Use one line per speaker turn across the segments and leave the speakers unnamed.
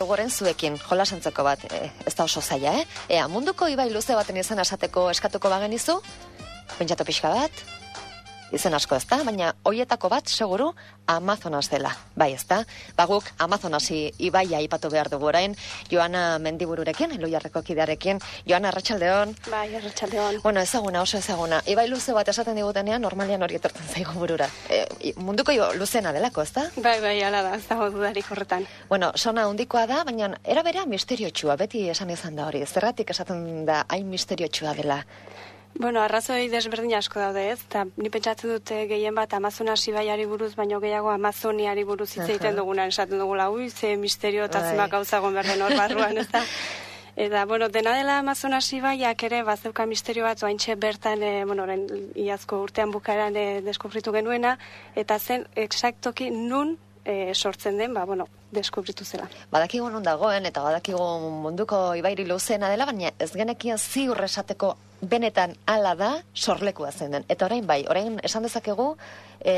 dugu orain zuekin, jolasantzeko bat, ez da oso zaila, Ea, munduko ibai luze baten izan esateko eskatuko bagenizu, pentsatu pixka bat, izen asko ez da, baina hoietako bat, seguru, Amazonas dela. Bai, ez da? Baguk Amazonasi ibaia aipatu behar dugu orain, Joana Mendibururekin, Eloiarreko kidearekin. Joana, arratsaldeon.
Bai, arratsaldeon.
Bueno, ezaguna, oso ezaguna. Ibai luze bat esaten digutenean, normalian hori etortzen zaigu burura. Munduko luzena delako, ez da?
Bai, hala da, ez dago dudarik horretan.
Bueno, sona handikoa da, baina era berea misteriotxua, beti esan izan da hori. Zergatik esaten da hain misteriotxua dela?
Bueno, arrazoi desberdin asko daude, ez? Eta ni pentsatzen dute gehien bat Amazonas ibaiari buruz, baino gehiago Amazoniari buruz hitz egiten dugunan, esaten dugula, ze misterio eta zenbat gauza egon berden hor barruan, ez da? Eta, bueno, dena dela Amazonas ibaiak ere, bazeuka misterio bat, oaintxe bertan, orain iazko urtean bukaeran deskubritu genuena, eta zen exactoki nun sortzen den, deskubritu zela.
Badakigu non dagoen, eta badakigu munduko ibairi luzena dela, baina ez genekien ziur esateko benetan hala da sorlekua zen den. Eta orain esan dezakegu,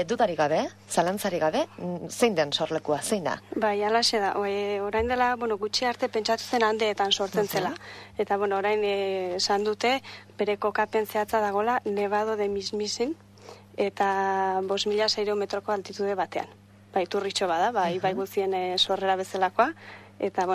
dudarik gabe, zalantzarik gabe, zein den sorlekua, zein da?
Bai, alaxe da. Orain dela, gutxi arte pentsatu zen Andeetan sortzen zela. Eta, orain esan dute, bere kokapen zehatza dagola, Nevado de Mismisin, eta 5.600 metroko altitude batean. Bai, turritxo bada, bai guzien sorrera bezalakoa, eta,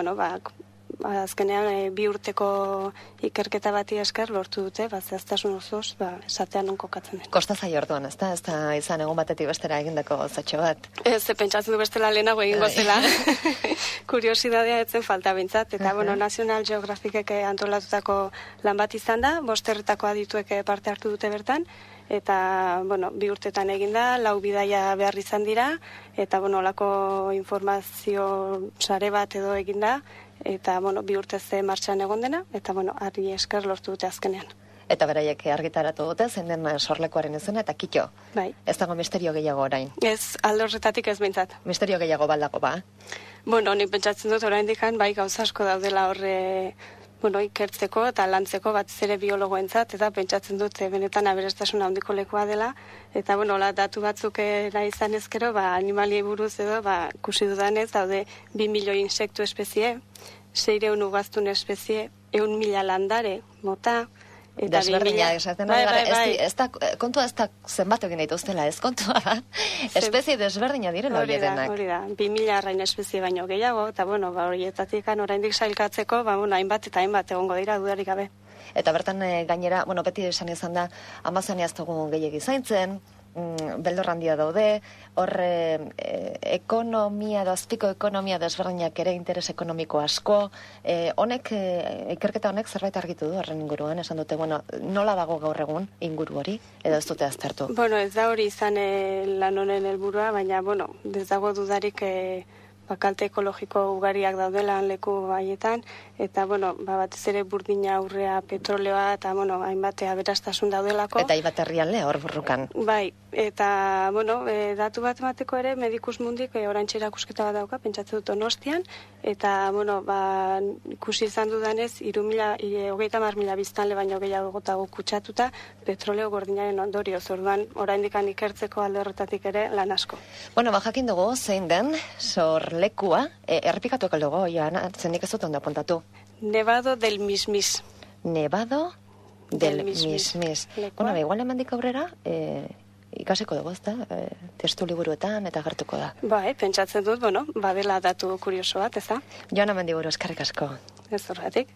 azkenean 2 urteko ikerketa bati esker lortu dute, zehaztasun osoz, esatean non kokatzen den.
Kosta zai orduan, ez da? Ez da izan egun batetik bestera egindako zatxo bat?
Ez, pentsatzen du bestela lehenago egingo zela. Kuriosidadea etzen falta bintzat, eta, National Geographicek antolatutako lan bat izan da, 5 herritako adituek parte hartu dute bertan, eta, 2 urtetan eginda, 4 bidaia behar izan dira, eta, olako informazio sare bat edo eginda, eta, 2 urte ze martxan egon dena, eta, harri esker lortu dute azkenean.
Eta beraiek argitaratu dute, zein den sorlekuaren izena, eta kitxo.
Bai.
Ez dago misterio gehiago orain.
Ez, alde horretatik ez behintzat.
Misterio gehiago baldago, ba?
Ni pentsatzen dut orain dikan, gauza asko daudela horre, ikertzeko eta lantzeko bat zere biologoentzat, eta pentsatzen dut benetan aberastasuna handiko lekua dela, eta datu batzuk izan ezkero, animali buruz edo, ikusi dudanez, daude 2 milioi insektu espezie, 600 ugaztun espezie, 1.000 landare, mota, eta
desberdina esaten kontua ez da zenbat egin dituztela, ez kontua da. Espezie desberdina direla hori denak.
Hori da, 2.000 arrain espezie baino gehiago, eta horietatik oraindik sailkatzeko, hainbat eta hainbat egongo dira dudarik gabe.
Eta bertan gainera, beti esan izan da, Amazonia ez dugu gehiegi zaintzen, beldor handia daude, horre ekonomia, azpiko ekonomia desberdinak ere interes ekonomiko asko, ikerketa honek zerbait argitu du horren inguruan, esan dute, nola dago gaur egun inguru hori, edo ez dute aztertu?
Ez da hori izan lan honen helburua, baina, ez dago dudarik kalte ekologiko ugariak daudela leku haietan, eta, batez ere burdina aurrea, petroleoa, eta, hainbat aberastasun daudelako.
Eta hainbat herrialde hor burrukan.
Bai, eta, datu bat emateko ere, Medikus Mundik oraintxe erakusketa bat dauka, pentsatzen dut Donostian, eta, ikusi izan dudanez, 30.000 biztanle baino gehiago gotago kutsatuta, petroleo gordinaren ondorioz, orduan, oraindikan ikertzeko alde horretatik ere lan asko.
Jakin dugu, zein den, lekua, errepikatu ekaldugu, Joana, zenik ez dut ondo apuntatu.
Nevado del Mismis.
Nevado del Mismis. Igual emandik aurrera, ikasiko dugu, ez da? Testu liburuetan eta gertuko da.
Bai, pentsatzen dut, badela datu kurioso bat, ez da?
Joana Mendiburu, eskerrik asko.
Ez horretik.